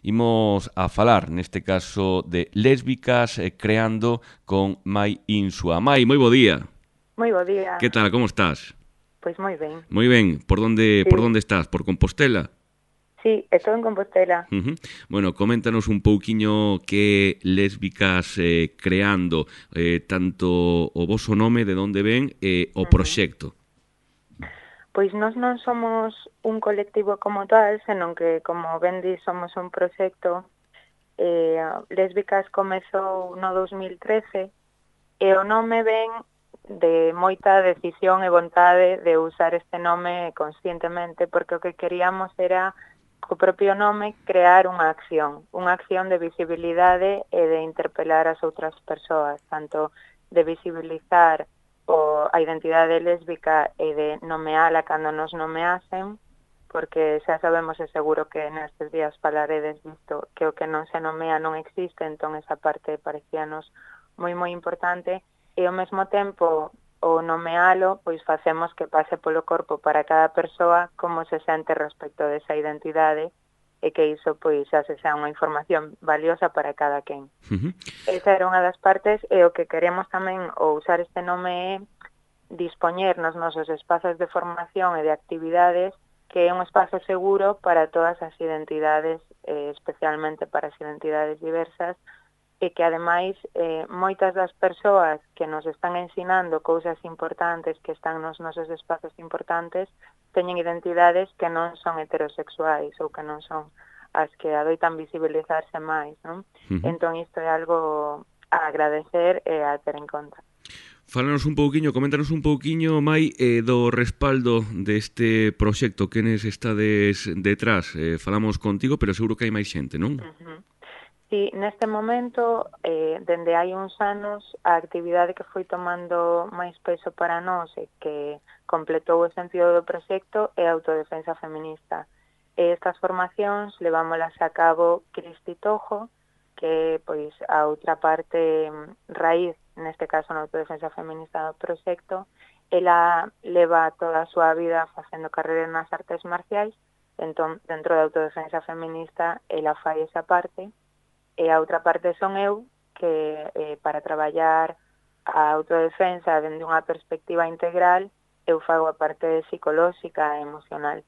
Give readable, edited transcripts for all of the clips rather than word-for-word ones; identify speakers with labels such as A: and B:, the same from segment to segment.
A: Imos a falar, neste caso, de lésbicas creando con Mai Insua. Mai, moi bo día.
B: Moi bo día.
A: Que tal, como estás?
B: Pois moi ben.
A: Moi ben, por
B: Sí,
A: onde estás? Por Compostela?
B: sí, estou en Compostela.
A: Bueno, coméntanos un pouquiño que lésbicas creando, tanto o voso nome, de onde ven, e o
B: Ujú.
A: proxecto.
B: Pois nós non somos un colectivo como tal, senón que, como ben di, somos un proxecto. Lésbicas comezou no 2013 e o nome ven de moita decisión e vontade de usar este nome conscientemente, porque o que queríamos era, co propio nome, crear unha acción de visibilidade e de interpelar as outras persoas, tanto de visibilizar a identidade lésbica e de nomeala cando nos nomeasen, porque xa sabemos e seguro que nestes días falaredes visto que o que non se nomea non existe, entón esa parte parecíanos moi importante, e ao mesmo tempo o nomealo, pois facemos que pase polo corpo para cada persoa como se sente respecto desa identidade e que iso pois xa se xa unha información valiosa para cada quen. Esa era unha das partes, e o que queremos tamén ao usar este nome é dispoñer nos nosos espazos de formación e de actividades que é un espazo seguro para todas as identidades, especialmente para as identidades diversas, e que ademais moitas das persoas que nos están ensinando cousas importantes, que están nos nosos espazos importantes, teñen identidades que non son heterosexuais ou que non son as que adoitan visibilizarse máis, non? Entón isto é algo a agradecer e a ter en conta.
A: Fálanos un pouquiño, coméntanos un pouquiño, Mai, do respaldo deste proxecto, quenes estades detrás. Falamos contigo, pero seguro que hai máis xente, non?
B: Sí, neste momento, dende hai uns anos, a actividade que foi tomando máis peso para nós e que completou o sentido do proxecto é a autodefensa feminista. E estas formacións levámolas a cabo Cristi Tojo, que pois a outra parte raíz, neste caso na autodefensa feminista do proxecto. Ela leva toda a súa vida facendo carreira nas artes marciais, entón dentro da autodefensa feminista ela fai esa parte. E a outra parte son eu, que para traballar a autodefensa dende unha perspectiva integral, eu fago a parte psicolóxica e emocional.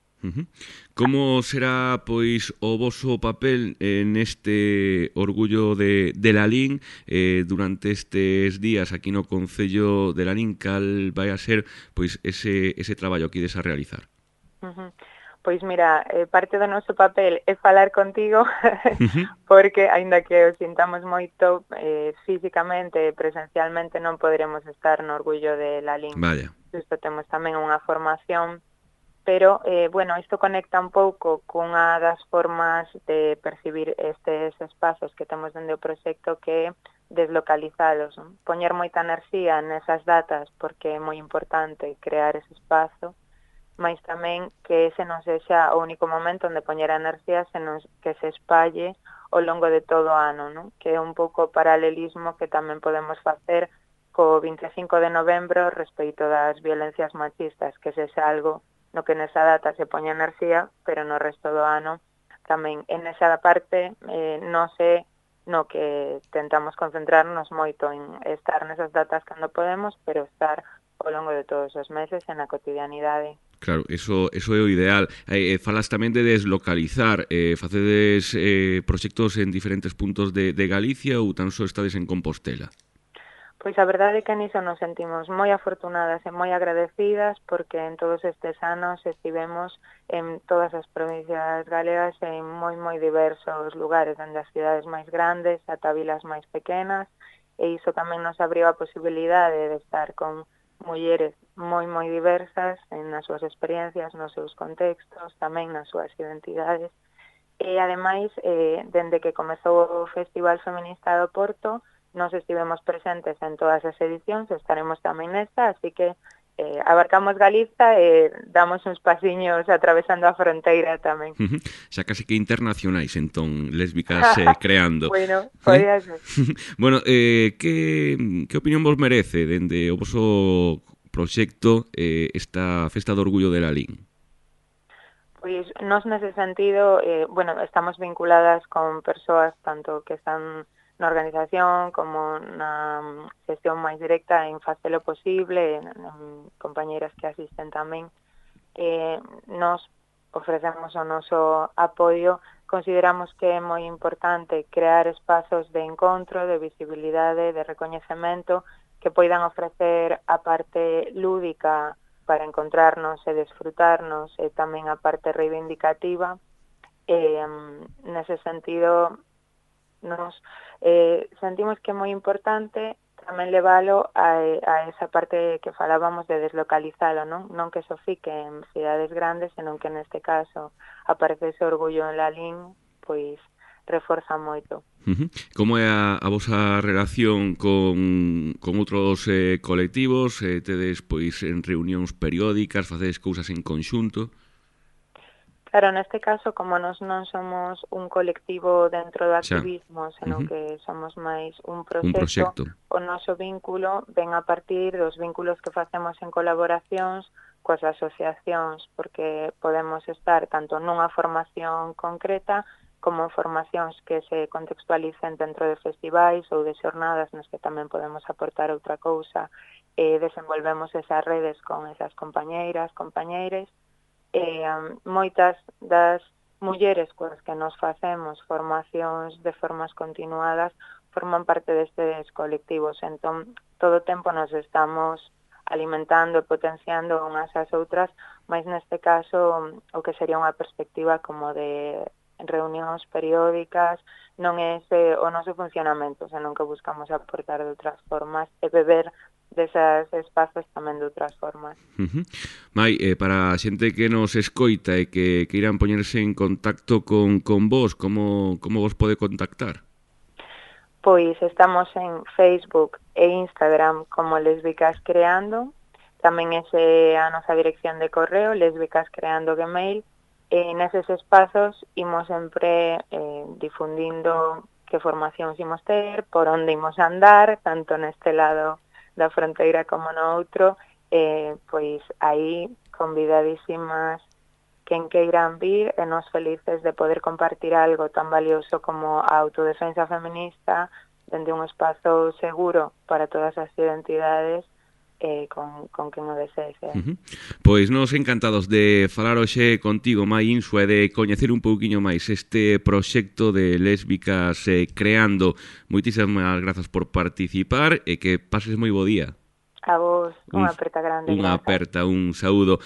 A: Como será, pois, o voso papel neste orgullo de Lalín durante estes días aquí no Concello de Lalín? Cal vai a ser, pois, ese traballo que ides a realizar?
B: Pois mira, parte do noso papel é falar contigo, porque, aínda que o sintamos moito, físicamente e presencialmente non poderemos estar no orgullo de Lalín.
A: Vaya.
B: Isto temos tamén unha formación, pero, bueno, isto conecta un pouco cunha das formas de percibir estes espazos que temos dende o proxecto, que é deslocalizalos, non? Poñer moita enerxía nesas datas, porque é moi importante crear ese espazo, mais tamén que ese non sexa o único momento onde poñer a enerxía, senón que se espalle ao longo de todo o ano, non? Que é un pouco o paralelismo que tamén podemos facer co 25 de novembro respecto das violencias machistas, que sexa algo no que nesa data se poña enerxía, pero no resto do ano tamén en esa parte non sei no que tentamos concentrarnos moito en estar nesas datas cando podemos, pero estar ao longo de todos os meses en a cotidianidade.
A: Claro, eso é o ideal. Falas tamén de deslocalizar. Facedes proxectos en diferentes puntos de Galicia ou tan só estades en Compostela?
B: Pois a verdade é que niso nos sentimos moi afortunadas e moi agradecidas, porque en todos estes anos estivemos en todas as provincias galegas en moi diversos lugares, dende as cidades máis grandes ata vilas máis pequenas, e iso tamén nos abriu a posibilidade de estar con mulleres moi diversas nas súas experiencias, nos seus contextos, tamén nas súas identidades. E ademais, dende que comezou o Festival Feminista do Porto, nos estivemos presentes en todas as edicións, estaremos tamén nesta, así que abarcamos Galiza e damos uns pasiños atravesando a fronteira tamén.
A: Xa case que internacionais, entón, lésbicas creando.
B: Bueno, podía ser.
A: Bueno, que opinión vos merece dende o voso proxecto esta Festa do Orgullo de Lalín?
B: Pois nós nese sentido, bueno, estamos vinculadas con persoas tanto que están na organización como na xestión máis directa en facelo posible, compañeiras que asisten tamén. Nos ofrecemos o noso apoio, consideramos que é moi importante crear espazos de encontro, de visibilidade, de recoñecemento que poidan ofrecer a parte lúdica para encontrarnos e desfrutarnos e tamén a parte reivindicativa. Nese sentido, nos sentimos que é moi importante tamén levalo a esa parte que falábamos de deslocalizalo, non que só fique en cidades grandes, senón que neste caso aparece ese orgullo en Lalín, pois reforza moito.
A: Como é a vosa relación con outros colectivos? Tedes pois en reunións periódicas, facedes cousas en conxunto?
B: Claro, neste caso, como nós non somos un colectivo dentro do activismo, senón que somos máis un proxecto, o noso vínculo ven a partir dos vínculos que facemos en colaboracións coas asociacións, porque podemos estar tanto nunha formación concreta como en formacións que se contextualicen dentro de festivais ou de xornadas nas que tamén podemos aportar outra cousa, desenvolvemos esas redes con esas compañeiras, compañeires, moitas das mulleres coas que nos facemos formacións de formas continuadas forman parte destes colectivos, entón todo o tempo nos estamos alimentando e potenciando unhas ás outras, mas neste caso o que sería unha perspectiva como de reunións periódicas non é ese o noso funcionamento, senón que buscamos aportar de outras formas e beber desas espazos tamén de outras formas.
A: Mai, para a xente que nos escoita e que queiran poñerse en contacto con vos, como vos pode contactar?
B: Pois estamos en Facebook e Instagram como Lésbicas Creando, tamén ese a nosa dirección de correo, lesbicascreando@gmail, e neses espazos imos sempre difundindo que formacións imos ter, por onde imos andar, tanto neste lado da fronteira como no outro, pois aí convidadísimas quen queiran vir e nos felices de poder compartir algo tan valioso como a autodefensa feminista dende un espazo seguro para todas as identidades con quen o desexe.
A: Pois nos encantados de falar hoxe contigo, Mai Insua, e de coñecer un pouquiño máis este proxecto de Lésbicas Creando. Moitísimas grazas por participar e que pases moi bo día.
B: A vos, unha aperta grande.
A: Unha aperta, un saúdo.